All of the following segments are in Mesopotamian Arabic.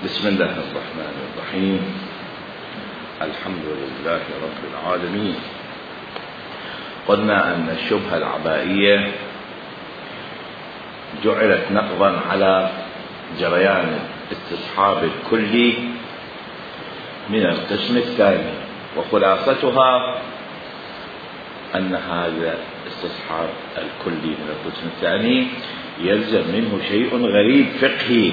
بسم الله الرحمن الرحيم. الحمد لله رب العالمين. قلنا أن الشبهة العبائية جعلت نقضا على جريان الاستصحاب الكلي من القسم الثاني، وخلاصتها أن هذا الاستصحاب الكلي من القسم الثاني يلزم منه شيء غريب فقهي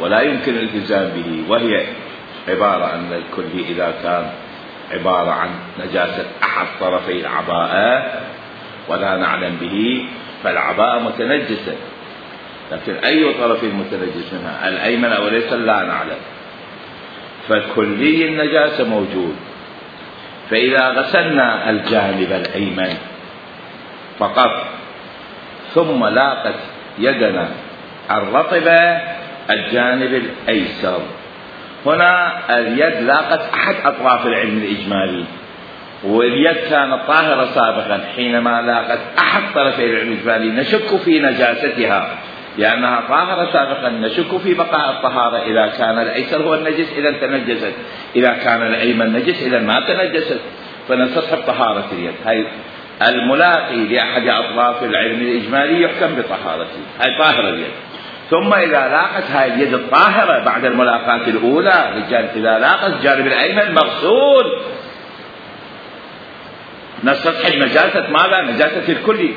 ولا يمكن الالتزام به، وهي عبارة أن الكلي إذا كان عبارة عن نجاسة أحد طرفي العباءة ولا نعلم به فالعباءة متنجسة، لكن أي طرف متنجس منها الأيمن أو الأيسر لا نعلم، فكلي النجاسة موجود. فإذا غسلنا الجانب الأيمن فقط ثم لاقت يدنا الرطبة الجانب الأيسر، هنا اليد لاقت أحد أطراف العلم الإجمالي، واليد كانت طاهرة سابقا، حينما لاقت أحد طرفي العلم الإجمالي نشك في نجاستها لأنها طاهرة سابقا، نشك في بقاء الطهارة إذا كان الأيسر هو النجس إذا تنجست، إذا كان الأيمن نجس إذا ما تنجست، فنستصحب طهارة اليد. هاي الملاقي لأحد أطراف العلم الإجمالي يحكم بطهارته، هاي طاهرة اليد. ثم إذا لاقت هاي اليد الطاهرة بعد الملاقاة الأولى إذا لاقت الجانب الأيمن مغسول نستصحب نجاسة ماذا؟ نجاسة الكلي،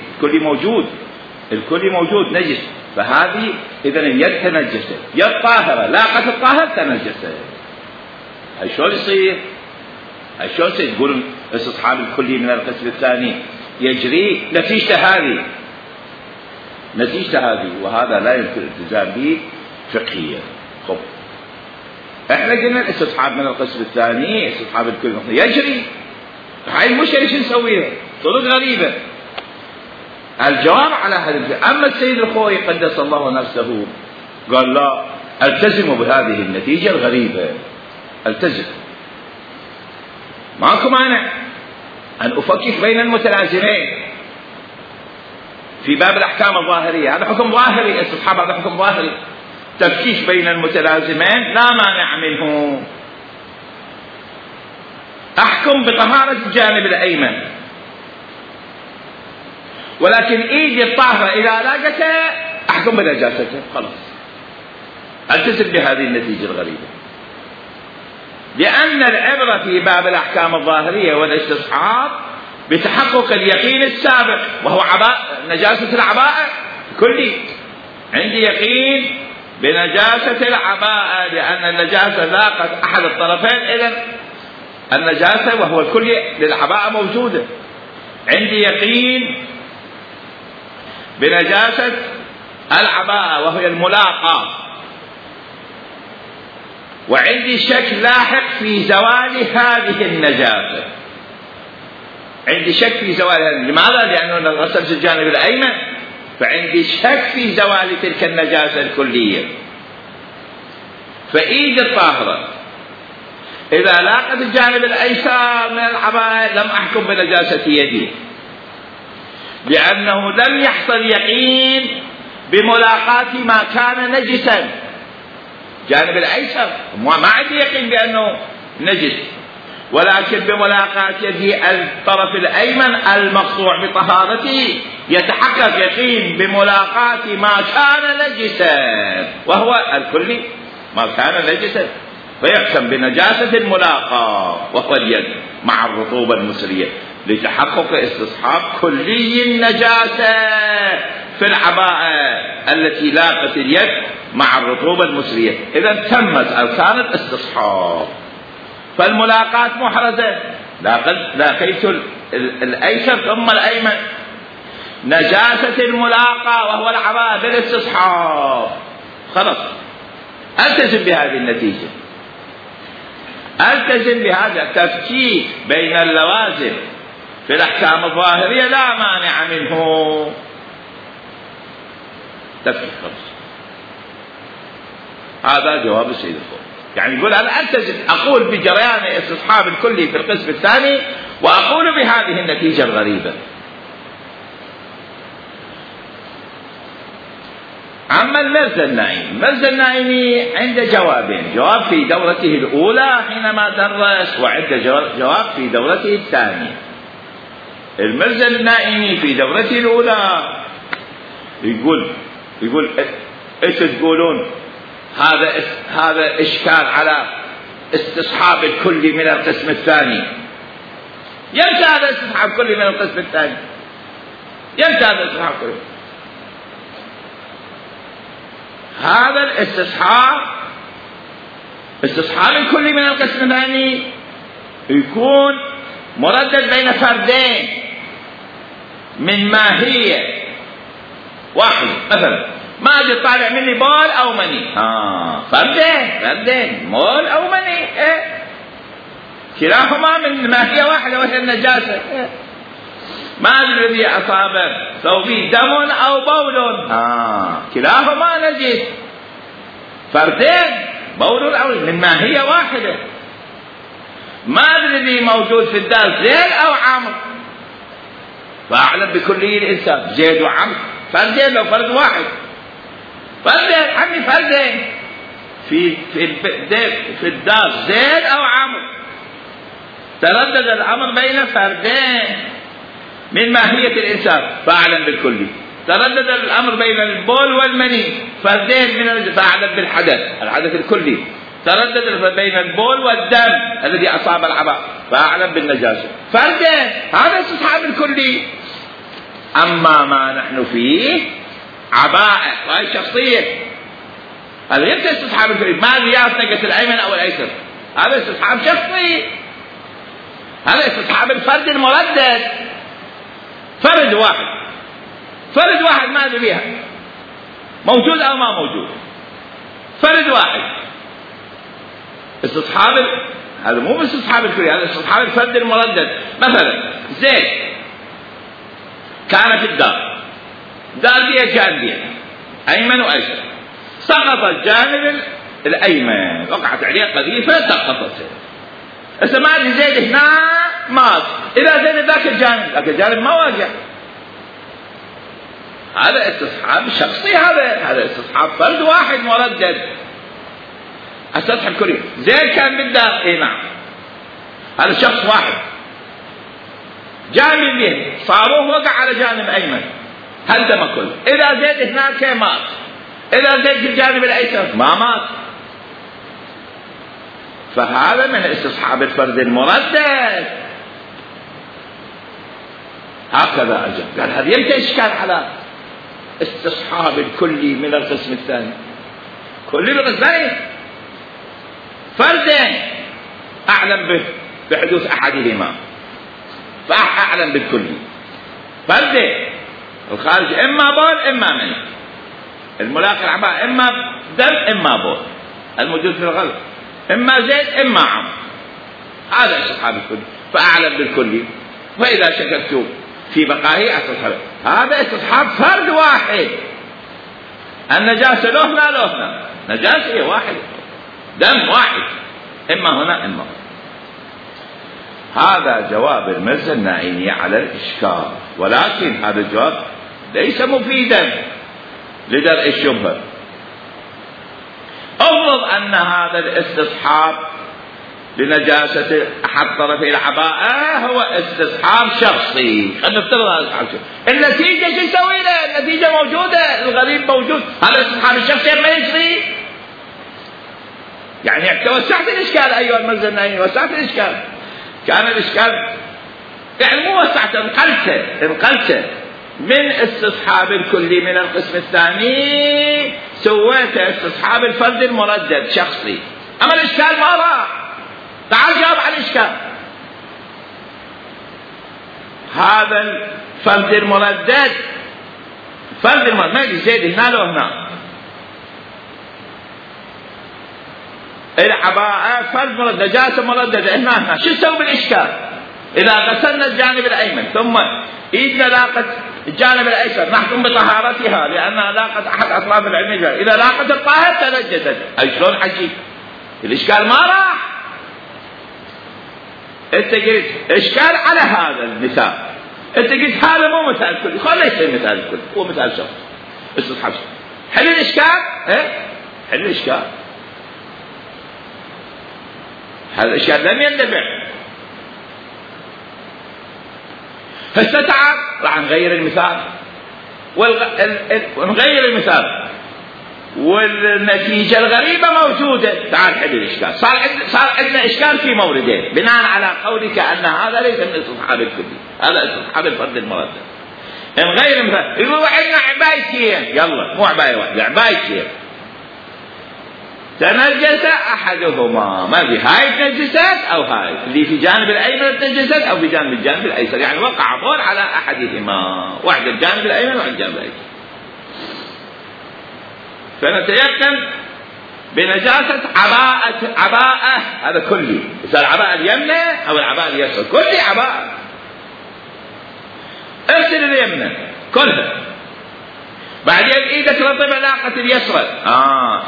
الكلي موجود نجس، فهذه إذن اليد تنجست، يد طاهرة لاقت الطاهر تنجست. هاي شلون يصير؟ تقولون استصحاب الكلي من القسم الثاني يجري نتيجة هذه، وهذا لا يمكن الالتزام به فقهيا. خب احنا قلنا الاستصحاب من القسم الثاني استصحاب الكلي يجري، هاي المشكلة ايش نسويها؟ طرق غريبة. الجواب على هذا أما السيد الخوئي قدس الله نفسه قال لا، التزموا بهذه النتيجة الغريبة، التزم، ماكو مانع أن أفكك بين المتلازمين في باب الأحكام الظاهرية، هذا حكم ظاهري، استصحاب هذا حكم ظاهري، تفكيك بين المتلازمين لا مانع منه. أحكم بطهارة الجانب الأيمن، ولكن إيدي الطاهرة إذا لاقته أحكم بنجاسته، خلاص التزم بهذه النتيجة الغريبة، لأن العبرة في باب الأحكام الظاهرية والاستصحاب بتحقق اليقين السابق، وهو نجاسة العباءة كلي. عندي يقين بنجاسة العباءة لأن النجاسة لاقت أحد الطرفين، إذن النجاسة وهو الكلي للعباءة موجودة. عندي يقين بنجاسة العباءة وهي الملاقاة، وعندي شك لاحق في زوال هذه النجاسة، عندي شك في زوالها. لماذا؟ لأنه غسلت الجانب الأيمن، فعندي شك في زوال تلك النجاسة الكلية. فإيد الطاهرة إذا لاقت الجانب الأيسر من العباءة لم أحكم بنجاسة يدي، لأنه لم يحصل يقين بملاقاة ما كان نجسا. جانب الأيسر ما عندي يقين بأنه نجس، ولكن بملاقاة يدي الطرف الأيمن المقطوع بطهارته يتحقق يقين بملاقاة ما كان نجسا، وهو الكلي ما كان نجسا، فيحكم بنجاسة الملاقاة وهو اليد مع الرطوبة المسرية، لتحقق استصحاب كلي النجاسة في العباءة التي لاقت اليد مع الرطوبة المسرية. إذا تمت أركان الاستصحاب، فالملاقاة محرزة، لاقيت الأيسر ثم الأيمن، نجاسة الملاقاة وهو العباءة بالاستصحاب، خلاص التزم بهذه النتيجة، التزم بهذا التفكيك بين اللوازم في الأحكام الظاهرية لا مانع منه، تفكيك خلاص. هذا جواب السيد الخوئي، يعني يقول أنا ألتزم، أقول بجريان استصحاب الكلي في القسم الثاني وأقول بهذه النتيجة الغريبة. أما المرزا النائمي. المرزا النائمي عنده جوابين: جواب في دورته الأولى حينما درس، وعنده جواب في دورته الثانية. المرزا النائمي في دورته الأولى يقول ايش تقولون؟ هذا إشكال على استصحاب الكلي من القسم الثاني. يمتى هذا استصحاب كلي من القسم الثاني؟ يمتى هذا استصحاب كلي؟ هذا استصحاب الكلي من القسم الثاني يكون مردد بين فردين من ماهية واحد. مثلا ما اجي طالع مني بول او مني، فردين مول او مني، كلاهما من ماهية واحدة وهي النجاسة. ما ادري الذي اصاب ثوبي دم او بول، كلاهما نجس. فردين بول او من ماهية واحدة. ما ادري الذي موجود في الدار زيد او عمرو، فاعلم بكلي الانسان زيد وعمرو فردين لو فرد واحد. فردين عمي فردين في الدار زيد او عمرو، تردد الامر بين فردين من ماهية الانسان فاعلم بالكلي. تردد الامر بين البول والمني، فردين من فاعلم بالحدث الكلي. تردد بين البول والدم الذي اصاب العباء فاعلم بالنجاسة. فردين، هذا استصحاب الكلي. اما ما نحن فيه عباءة وهي شخصية، هذا ليس استصحاب الكلي. ما زيادة نقص الايمن او الايسر، هذا استصحاب شخصي. هذا استصحاب الفرد المردد. فرد واحد ما ادري بها موجود او ما موجود، فرد واحد. استصحاب هذا مو استصحاب الكلي، هذا استصحاب الفرد المردد. مثلا زيد كان في الدار فيها جانبين ايمن وايسر، سقط الجانب الايمن، وقعت عليه قذيفه سقطت. هسه ما ادري زيد هنا مات، اذا زيد ذاك الجانب ما واجع، هذا استصحاب شخصي. هذا استصحاب فرد واحد مردد. استصحاب كلي. زيد كان بالدار، نعم، هذا شخص واحد، جانبين صاروه وقع على جانب ايمن هدم كله. اذا زيد هناك مات، اذا زيد في الجانب الايسر ما مات. فهذا من استصحاب الفرد المردد. هكذا أجل قال هذا يمتى إشكال على استصحاب الكلي من القسم الثاني. كلي من القسم الثاني فردين أعلم بحدوث أحدهما فأعلم بالكلي. فردين الخارج إما بول إما مني، الملاقي العباء إما دم إما بول، الموجود في الغلط إما زيد إما عمرو. هذا استصحاب الكلي فأعلم بالكلي. وإذا شككت في بقائه استصحاب، هذا استصحاب فرد واحد. النجاسة له هنا نجاسة واحد، دم واحد، إما هنا إما هنا. هذا جواب المرزا النائمي على الإشكال، ولكن هذا الجواب ليس مفيدا لدرء الشبهة. أفرض أن هذا الاستصحاب لنجاسة أحد طرفي العباءة هو استصحاب شخصي، خلينا نفترض هذا استصحاب شخصي. النتيجة شو يسوي له؟ النتيجة موجودة، الغريب موجود، هذا استصحاب الشخصي ما يجري. يعني توسعت الإشكال أيها المرزا النائمي، وسعت الإشكال. كان الإشكال يعني مو وسعت، انقلته من استصحاب الكلي من القسم الثاني سويت استصحاب الفرد المردد شخصي. أما الإشكال ما راح. تعال جاوب على الإشكال. هذا الفرد المردد ما يجي زيد هنا لو هنا. العباءة فرد مردد، نجاسة مرددة هنا. شو نسوي بالإشكال؟ إذا غسلنا الجانب الأيمن ثم إيدنا لاقت الجانب الأيسر نحكم بطهارتها لأنها لاقت أحد أطراف العلم. إذا لاقت الطاهر تنجست. أي شلون حكي؟ الإشكال ما راح. أنت قلت إشكال على هذا المثال، أنت قلت هذا مو مثال كلي، خليه يصير مثال كلي، هو مثال شخص استصحاب. حل الإشكال. حل الإشكال. هذا الإشكال لم يندفع. هسه تعال راح نغير المثال ونغير المثال والنتيجة الغريبة موجودة. تعال حل الإشكال. صار عندنا إشكال في موردين بناء على قولك أن هذا ليس من استصحاب الكلي، هذا استصحاب الفرد المردد. نغير المثال. يقول عندنا عبايتين، يلا مو عباية واحدة، عبايتين تنجس أحدهما، ما في هاي تنجست أو هاي اللي في جانب الأيمن تنجست أو في الجانب الأيسر، يعني وقع بول على أحدهما، واحد الجانب الأيمن وواحد الجانب الأيسر. فنتيقن بنجاسة عباءة، هذا كلي، إذا العباءة اليمنى أو العباءة اليسرى، كلي عباءة. اغسل اليمنى كلها، بعدين ايدك رطبة لاقت اليسرى،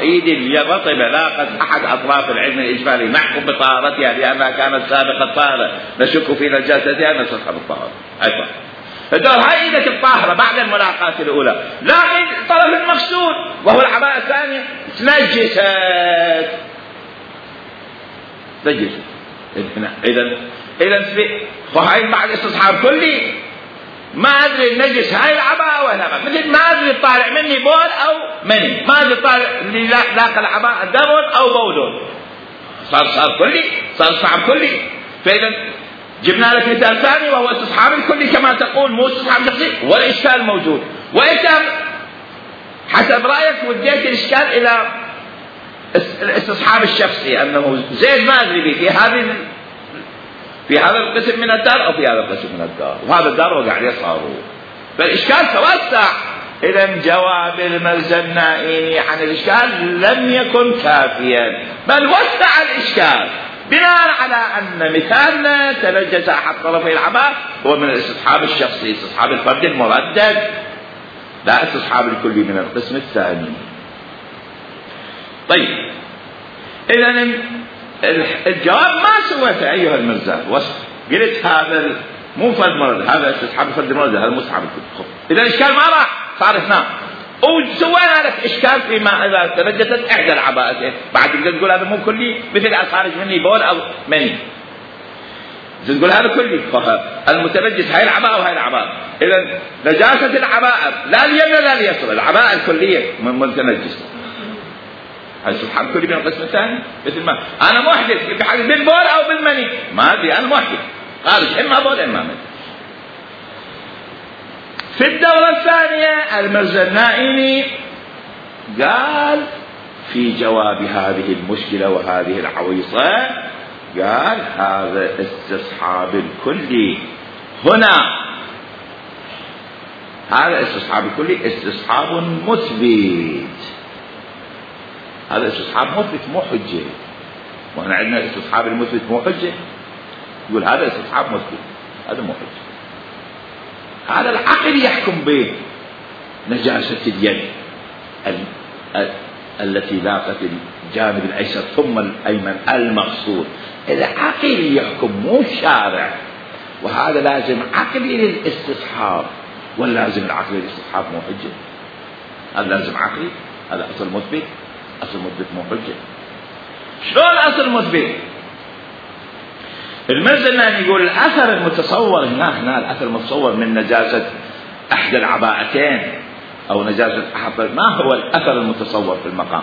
ايدي رطبة لاقت احد اطراف العلم الاجمالي محكوم بطهارتها لانها كانت سابقة طاهرة، نشك في نجاستها نستصحب الطهارة. ايضا هدول هاي ايدك الطاهرة بعد الملاقاة الاولى، لكن الطرف المغسول وهو العباءة الثانية تنجست. اذا فهاي بعد استصحاب كلي. ما ادري النجس هاي العباءة ولا مثل ما ادري طالع مني بول او مني، ما ادري طالع اللي لاقى العباءة دبل او بول، صار كلي، صار صعب كلي. فاذا جبنا لك مثال ثاني وهو استصحاب الكلي كما تقول، مو استصحاب شخصي، والاشكال موجود. وانت حسب رايك وديت الاشكال الى الاستصحاب الشخصي، انه زيد ما ادري به في هذا القسم من الدار أو في هذا القسم من الدار، وهذا الدار وقع يصاروا، فالإشكال توسع. إذا جواب المرزا النائمي عن الإشكال لم يكن كافيا، بل وسع الإشكال بناء على أن مثالنا تنجس أحد طرفي العباء هو من الاستصحاب الشخصي، استصحاب الفرد المردد، لا استصحاب الكلي من القسم الثاني. طيب إذا الجواب ما سويته أيها المرزا، قلت هذا مو فرد مرد، هذا استصحاب فرد المرد، هذا مسحب الكل. إذا الإشكال ما راح، صار اثنان، وسوينا لك إشكال فيما إذا تنجست إحدى العباءتين، بعد تقدر تقول هذا مو كلي، مثل خارج مني بول أو مني، تقول هذا كلي، المتنجس هاي العباءة وهاي العباءة. إذا نجاسة العباءة لا اليمنى لا اليسرى، العباءة الكلية من متنجس، هذا سبحان كلي من القسم الثاني. مثل ما أنا محدث بحدث بالبول أو بالمني، ما أدري أنا محدث خارج إما بول إما مني. في الدورة الثانية المرزا النائمي قال في جواب هذه المشكلة وهذه العويصة، قال هذا استصحاب الكلي هنا، هذا استصحاب الكلي استصحاب مثبت، هذا استصحاب مثبت مو حجة. وهنا عندنا استصحاب المثبت مو حجة، يقول هذا استصحاب مثبت، هذا مو حجة. هذا العقل يحكم بنجاسة اليد التي لاقت الجانب الأيسر ثم الأيمن المغسول، العقل يحكم مو الشارع، وهذا لازم عقلي للاستصحاب، واللازم العقل للاستصحاب مو حجة، هذا لازم عقلي، هذا أصل مثبت، أصل مثبت مو حجة. شلون أصل مثبت؟ المرزا النائمي يقول الأثر المتصور هنا الأثر المتصور من نجاسة أحد العباءتين أو نجاسة أحد، ما هو الأثر المتصور في المقام؟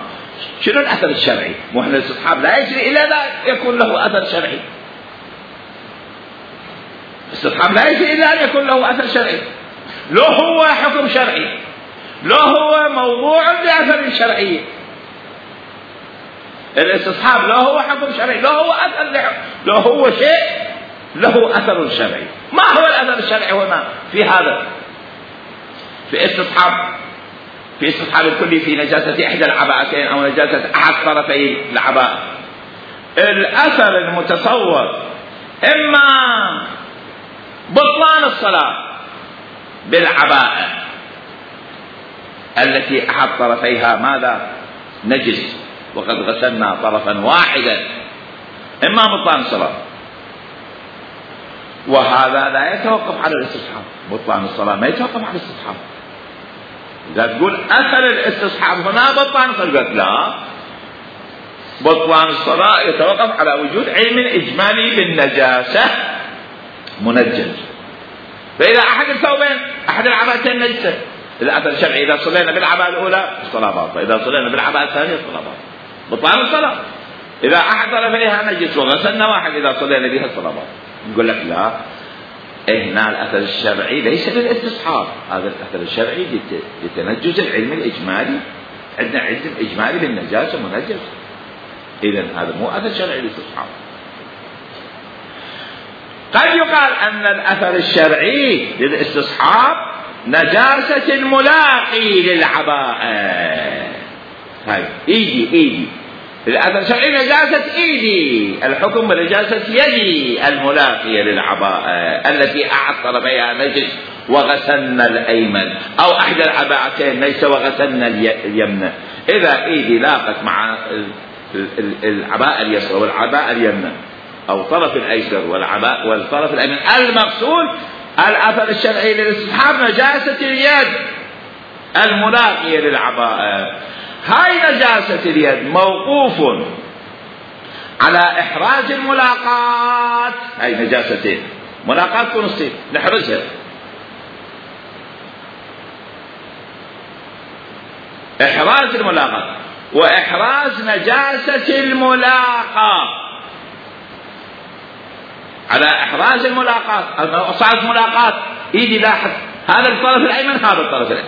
شنو الأثر الشرعي؟ مو احنا الاستصحاب لا يجري إلا لا يكون له أثر شرعي، الاستصحاب لا يجري إلا أن يكون له أثر شرعي، لو هو حكم شرعي، لو هو موضوع بأثر شرعي. الاستصحاب لو هو حكم شرعي، لو هو أثر، لو هو شيء له أثر شرعي. ما هو الأثر الشرعي هنا في هذا؟ في استصحاب الكلي في نجاسة إحدى العباءتين أو نجاسة أحد طرفي العباءة. الأثر المتصور إما بطلان الصلاة بالعباءة التي أحد طرفيها ماذا؟ نجس، وقد غسلنا طرفا واحدا، إما بطلان الصلاة، وهذا لا يتوقف على الاستصحاب، بطلان الصلاة ما يتوقف على الاستصحاب، إذا تقول أثر الاستصحاب هنا بطلان الصلاة، قلت لا، بطلان الصلاة يتوقف على وجود علم إجمالي بالنجاسة منجز. فإذا أحد الثوبين أحد العباءتين نجسة، الأثر الشرعي إذا صلينا بالعباءة الأولى الصلاة باطلة، إذا صلينا بالعباءة الثانية الصلاة باطلة، بطلان الصلاة. إذا أحد طرفيها نجس وغسلنا واحد إذا صلينا بها الصلاة باطلة. نقول لك لا، هنا الأثر الشرعي ليس للاستصحاب، هذا الأثر الشرعي لتنجز العلم الإجمالي، عندنا علم إجمالي بالنجاسة منجز، إذن هذا مو أثر شرعي للاستصحاب. قد يقال أن الأثر الشرعي للاستصحاب نجاسة الملاقي للعباءة. هاي إيدي الأثر الشرعي نجاسة إيدي، الحكم بنجاسة يدي الملاقية للعباءة التي أحد طرفيها نجس وغسلنا الأيمن، أو أحد العباءتين نجس وغسلنا اليمنى. إذا إيدي لاقت مع العباءة اليسرى والعباءة اليمنى، أو طرف الأيسر والطرف الأيمن المغسول، الأثر الشرعي للاستصحاب نجاسة اليد الملاقية للعباءة. هاي نجاسة اليد موقوف على إحراز الملاقات. هاي نجاستين، ملاقات ونصيب نحرزها، إحراز الملاقات وإحراز نجاسة الملاقة. على إحراز الملاقات، صارت ملاقات إيدي لاحظ هذا الطرف الأيمن هذا الطرف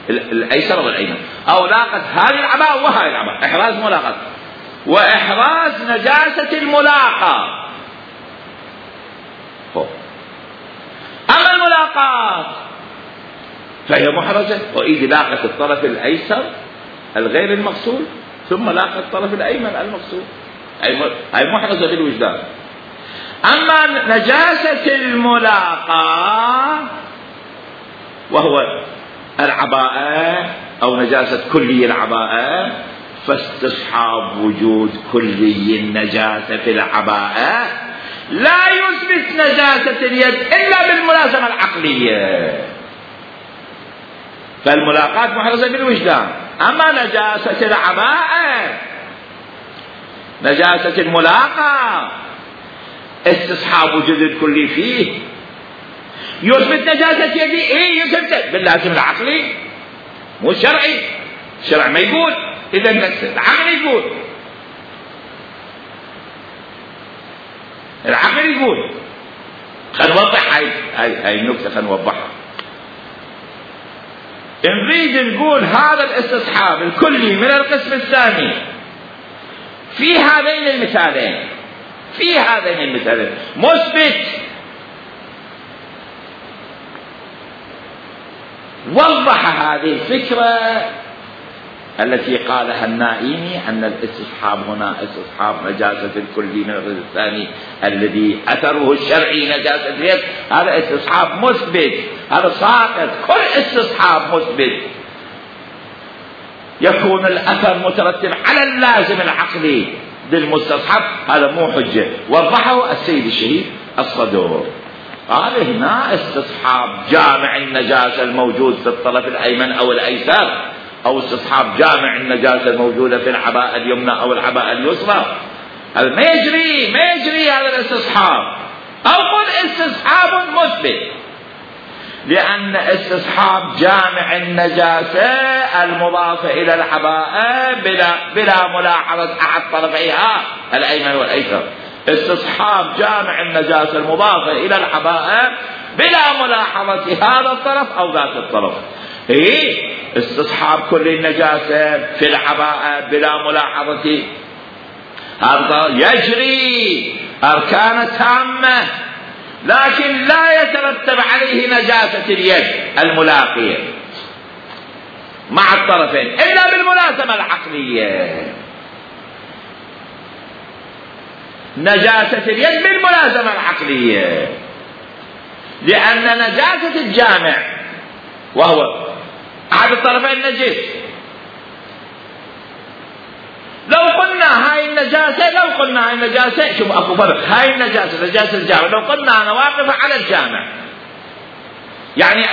الأيسر والأيمن، أو لاقت هذه العباءة وهذه العباءة، إحراز ملاقات وإحراز نجاسة الملاقة. أما الملاقات فهي محرزة، وإيدي لاقت الطرف الأيسر الغير المغسول ثم لاقت الطرف الأيمن المغسول، هي محرزة بالوجدان. أما نجاسة الملاقة وهو العباءة أو نجاسة كلي العباءة، فاستصحاب وجود كلي النجاسة في العباءة لا يثبت نجاسة اليد إلا بالملازمة العقلية، فالملاقات محرزة بالوجدان. أما نجاسة العباءة، نجاسة الملاقة، استصحاب وجود الكلي فيه يثبت نجاسة يدي. ايه يثبت باللازم العقلي مو الشرعي، الشرع ما يقول، اذا العقل يقول، العقل يقول. خلينا نوضح هاي النكتة، خلينا نوضحها. نريد نقول هذا الاستصحاب الكلي من القسم الثاني في هذين المثالين مثبت. وضح هذه الفكرة التي قالها النائمي أن الاستصحاب هنا استصحاب نجاسة الكلي من القسم الثاني الذي أثره الشرعي نجاسة اليد، هذا استصحاب مثبت، هذا ساقط. كل استصحاب مثبت يكون الأثر مترتب على اللازم العقلي للمستصحب، هذا مو حجة. وضحه السيد الشهيد الصدور، قال هنا استصحاب جامع النجاسة الموجود في الطرف الأيمن أو الأيسر، أو استصحاب جامع النجاسة الموجودة في العباءة اليمنى أو العباءة اليسرى، هذا ما يجري هذا الاستصحاب. أو قل استصحاب مثبت، لأن استصحاب جامع النجاسة المضافة إلى العباءة بلا ملاحظة أحد طرفيها الأيمن والأيسر، استصحاب جامع النجاسة المضافة إلى العباءة بلا ملاحظة هذا الطرف أو ذات الطرف. استصحاب كل النجاسة في العباءة بلا ملاحظة هذا يجري أركان تامة، لكن لا يترتب عليه نجاسة اليد الملاقية مع الطرفين إلا بالملازمة العقلية. نجاسة اليد بالملازمة العقلية، لأن نجاسة الجامع وهو أحد الطرفين نجس، لو قلنا هاي النجاسة شوف أكو فرق، هاي النجاسة نجاسة الجامع، لو قلنا أنا واقفة على الجامع يعني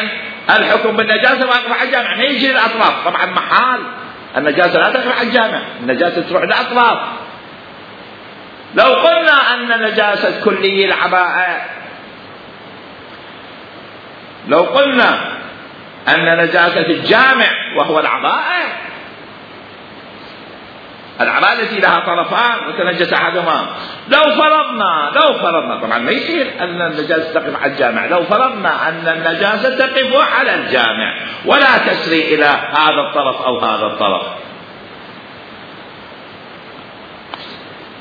الحكم بالنجاسة واقف على الجامع، ما يجي للأطراف. طبعا محال النجاسة لا تقف على الجامع، النجاسة تروح للأطراف. لو قلنا أن نجاسة كلي العباءة، لو قلنا أن نجاسة الجامع وهو العباءة التي لها طرفان وتنجس أحدهما، لو فرضنا طبعا ما يصير أن النجاسة تقف على الجامع، لو فرضنا أن النجاسة تقف على الجامع ولا تسري إلى هذا الطرف أو هذا الطرف،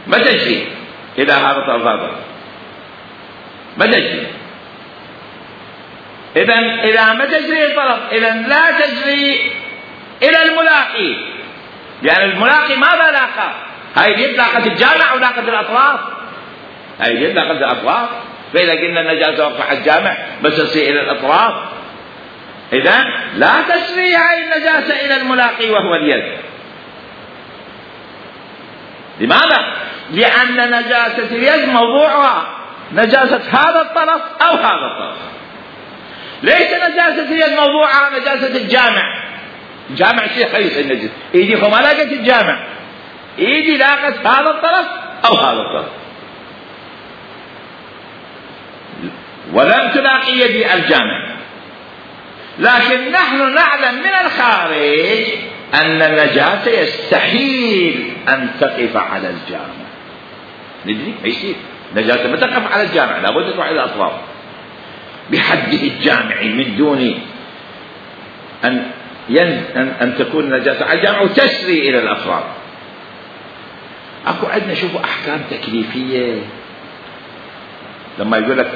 ما تجري إلى هذا الطرف هذا، ما تجري. إذا ما تجري الطرف، إذا لا تجري إلى الملاقي، يعني الملاقي ماذا لاقى؟ هاي اليد لاقت الجامع أو لاقت الأطراف؟ هاي اليد لاقت الأطراف. فإذا قلنا النجاسة وقف على الجامع بس تصير إلى الأطراف، إذا لا تسري هاي النجاسة إلى الملاقي وهو اليد. لماذا؟ لأن نجاسة اليد موضوعها نجاسة هذا الطرف أو هذا الطرف، ليس نجاسة اليد موضوعها نجاسة الجامع. الجامع شيء خيس النجس، ايدي ما لاقت الجامع، ايدي لاقت هذا الطرف او هذا الطرف، ولم تلاقي يدي الجامع. لكن نحن نعلم من الخارج ان النجاسة يستحيل ان تقف على الجامع. ندري ما يصير نجاسة ما تقف على الجامع، لابد تروح الى الاطراف بحده الجامعي من دون أن تكون نجاسة على الجامع وتسري إلى الأفراد. أكو عندنا شوفوا أحكام تكليفية، لما يقول لك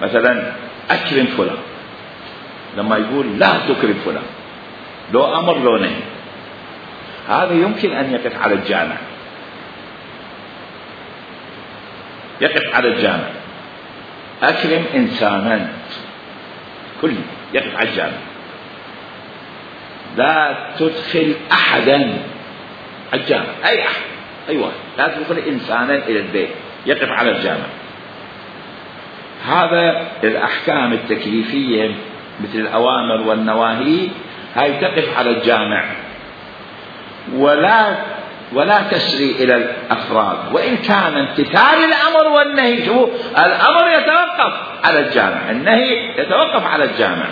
مثلا أكرم فلان، لما يقول لا تكرم فلان، لو أمر لو نهي، هذا يمكن أن يقف على الجامع، يقف على الجامع. أكرم إنسانا كل يقف على الجامع. لا تدخل أحدا الجامع، أي أحد، أي واحد، لا تدخل إنسانا إلى البيت، يقف على الجامع. هذا الأحكام التكليفية مثل الأوامر والنواهي هاي تقف على الجامع ولا تسري إلى الأفراد، وإن كان امتثال الأمر والنهي، شوفوا الأمر يتوقف على الجامع، النهي يتوقف على الجامع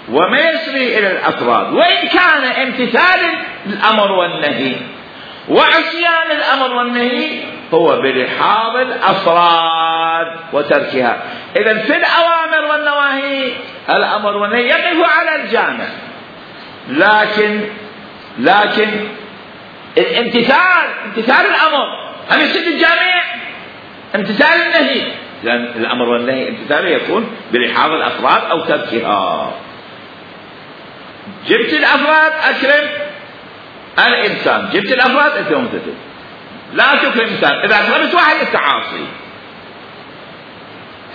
وما يسري إلى الأفراد، وإن كان امتثال الأمر والنهي وعصيان الأمر والنهي هو بلحاظ الأفراد وتركها. إذن في الأوامر والنواهي الأمر والنهي يقف على الجامع، لكن امتثال الأمر هل يصير الجامع؟ امتثال النهي، لأن الأمر والنهي امتثاله يكون بلحاظ الأفراد أو تركها. جبت الأفراد أكرم الإنسان، جبت الأفراد أنت ممتثل، لا تكرم إنسان. إذا أكرمت واحد التعاصي.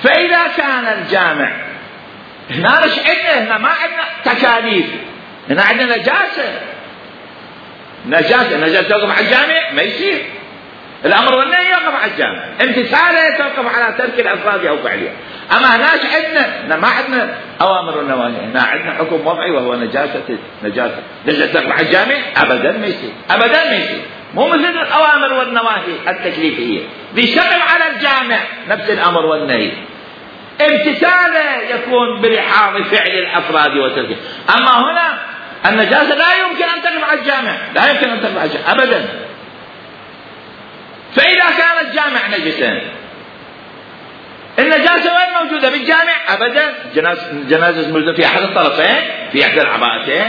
فإذا كان الجامع هنا مش عندنا، هنا ما عندنا تكاليف، هنا عندنا نجاسة توقف على الجامع ما يصير. الأمر والنهي يوقف على الجامع، امتثاله يتوقف على ترك الأفراد أو فعلها. أما هناك عندنا ما عندنا أوامر والنواهي، هنا عندنا حكم وضعي وهو نجاسة توقف على الجامع أبدا ما يصير، أبدا ما يصير. مو مثل الأوامر والنواهي التكليفية بيشتغل على الجامع نفس الأمر والنهي، امتثاله يكون بلحاظ فعل الأفراد وتركه. أما هنا النجاسة لا يمكن أن تقف على الجامع، لا يمكن أن تقف على الجامع أبدا. فإذا كان الجامع نجسا، النجاسة وين موجودة؟ بالجامع أبدا. الجنازة موجودة في أحد الطرفين، في إحدى العباءتين.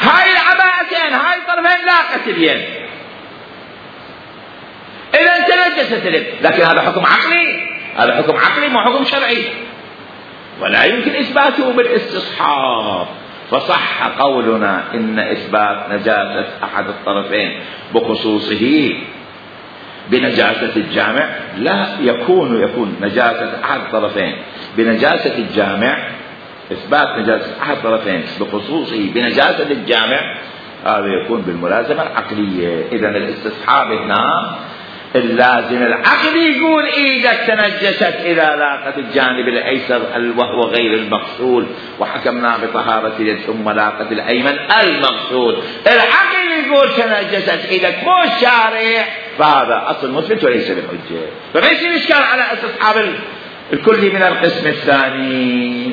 هاي العباءتين هاي الطرفين لاقت اليد، إذا تنجست اليد. لكن هذا حكم عقلي، هذا حكم عقلي مو حكم شرعي، ولا يمكن إثباته بالاستصحاب. فصح قولنا إن إثبات نجاسة أحد الطرفين بخصوصه بنجاسة الجامع لا يكون نجاسة أحد الطرفين بنجاسة الجامع، إثبات نجاسة أحد الطرفين بخصوصه بنجاسة الجامع، هذا يكون بالملازمة العقلية. إذن الاستصحاب هنا اللازم العقل يقول ايدك تنجست اذا لاقت الجانب الايسر وهو غير المقصود، وحكمنا بطهارة اليد ثم لاقت الايمن المقصود. العقل يقول تنجست ايدك مو الشارع، فهذا اصل مثبت وليس بالحجة. فليس الاشكال على استصحاب الكل من القسم الثاني.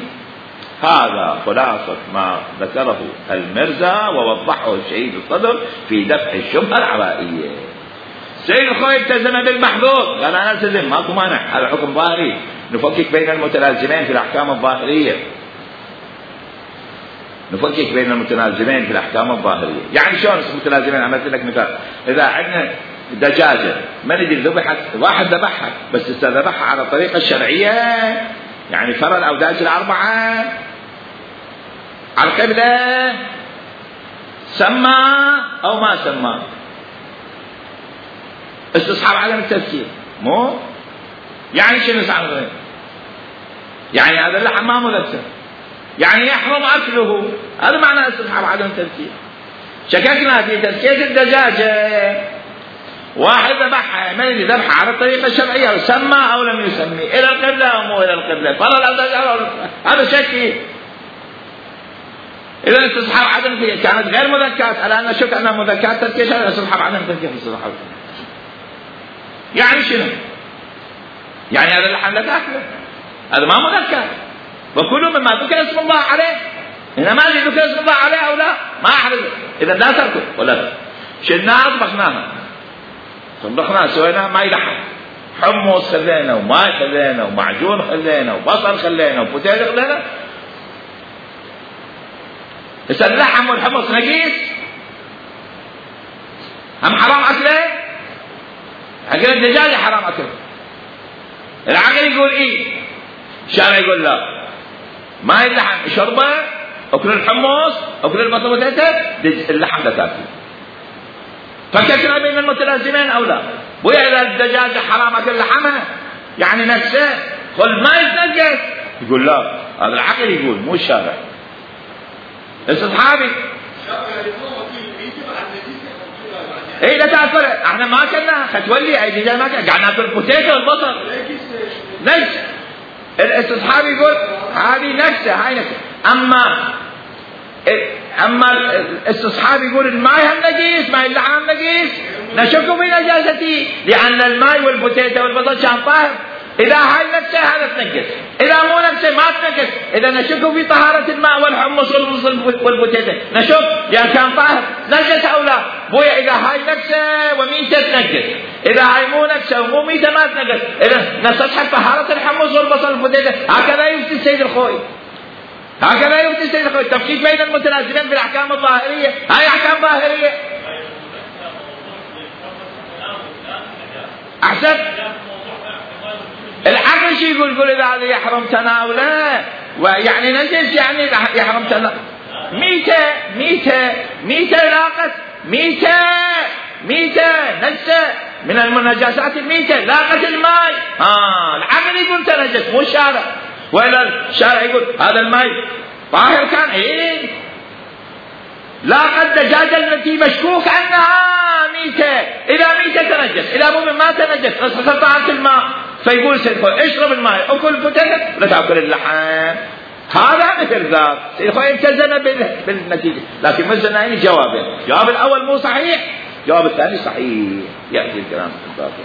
هذا خلاصة ما ذكره المرزا ووضحه الشهيد الصدر في دفع الشبهة العبائية. سيد الخوي التزم بالمحظوظ، قال أنا التزم ماكو مانع، هذا حكم ظاهري، نفكك بين المتلازمين في الأحكام الظاهرية، نفكك بين المتلازمين في الأحكام الظاهرية. يعني شلون المتلازمين؟ عملت لك مثال، إذا عندنا دجاجة ما ندري ذبحت، واحد ذبحها بس ذبحها على الطريقة الشرعية، يعني فرى الأوداج الأربعة على القبلة، سمى أو ما سمى، استصحاب عدم التفكير. مو يعني شنو استصحاب؟ يعني هذا اللحم ما مذكر، يعني يحرم أكله، هذا معنى استصحاب عدم التفكير. شككنا في تزكية الدجاجة، واحد ذبحها ما يدري ذبحها على الطريقة الشرعية، سمى أو لم يسمي، إلى القبلة أو مو إلى القبلة، فرى الأوداج، هذا شك. إذا استصحاب عدم التفكير كانت غير مذكرات، على أن شك أنها مذكرات تزكية شرعية، استصحاب عدم التفكير في استصحاب. يعني شنو؟ يعني هذا اللحم لا تاكله، هذا ما مذكر، وكل مما ذكر اسم الله عليه. هنا ما ادري ذكر اسم الله عليه او لا، ما احرز، اذا لا تاكل ولا شلناها طبخناها سويناها ما يلحم، حمص خلينا وماء خلينا ومعجون خلينا وبصل خلينا وبوتيل خلينا. بس اللحم والحمص نجيس، هم حرام اكله؟ أكل الدجاج حرام أكله. العقل يقول إيه، الشارع يقول لا، ما اللحم شربه، أكل الحمص، أكل البصل والزيت، اللحم لا تاكل. فككنا بين المتلازمين أو لا؟ وإذا الدجاج حرام أكل لحمه يعني نفسه قل ما يتنجس، يقول لا، هذا العقل يقول مو الشارع. استصحابي ايه لا تاكل، احنا ما اكلنا ختولي اي دجاج ما اكلنا، قاعد ناكل بوتيتو والبصل نجس. الاستصحاب يقول هذه نجسه، هاي نجسه. اما الاستصحاب يقول الماء هم نجيس، ماء اللحم نجيس، نشك في نجاسته، لان الماء والبوتيتو والبصل كان طاهر. إذا هاي نفسه هذا تنجس، إذا مو نفسه ما تنجس. إذا نشك في طهارة الماء والحمص والبوتيتو، نشك لأن كان طاهر نجس أو لا. بويا إذا هاي نفسه وميتة تنجس، إذا هاي مو نفسه ومو ميتة ما تنجس. إذا نستصحب طهارة الحمص والبصل والبوتيتو. هكذا يفتي السيد الخوي، هكذا يفتي السيد الخوي. تفكيك بين المتلازمين بالأحكام الظاهرية، هاي أحكام ظاهرية. أحسن العقل شي يقول إذا هذا يحرم تناوله ويعني نجس، يعني يحرم تناوله. ميتة لاقت ميتة نجسة من النجاسات، الميتة لاقت الماء، العقل يقول تنجس مو الشارع. وإلا الشارع يقول هذا الماء طاهر كان، إيه لاقت دجاجة التي مشكوك عنها ميتة، إذا ميتة تنجس، إذا مو ما تنجس قطعت الماء. فيقول سيد اشرب الماء، أكل البوتيتو لا تأكل اللحم. هذا مثل ذاك سيد خوي التزم بالنتيجة، لكن مزنا جوابين، جواب الأول مو صحيح، جواب الثاني صحيح. يأتي الكلام في الباقي.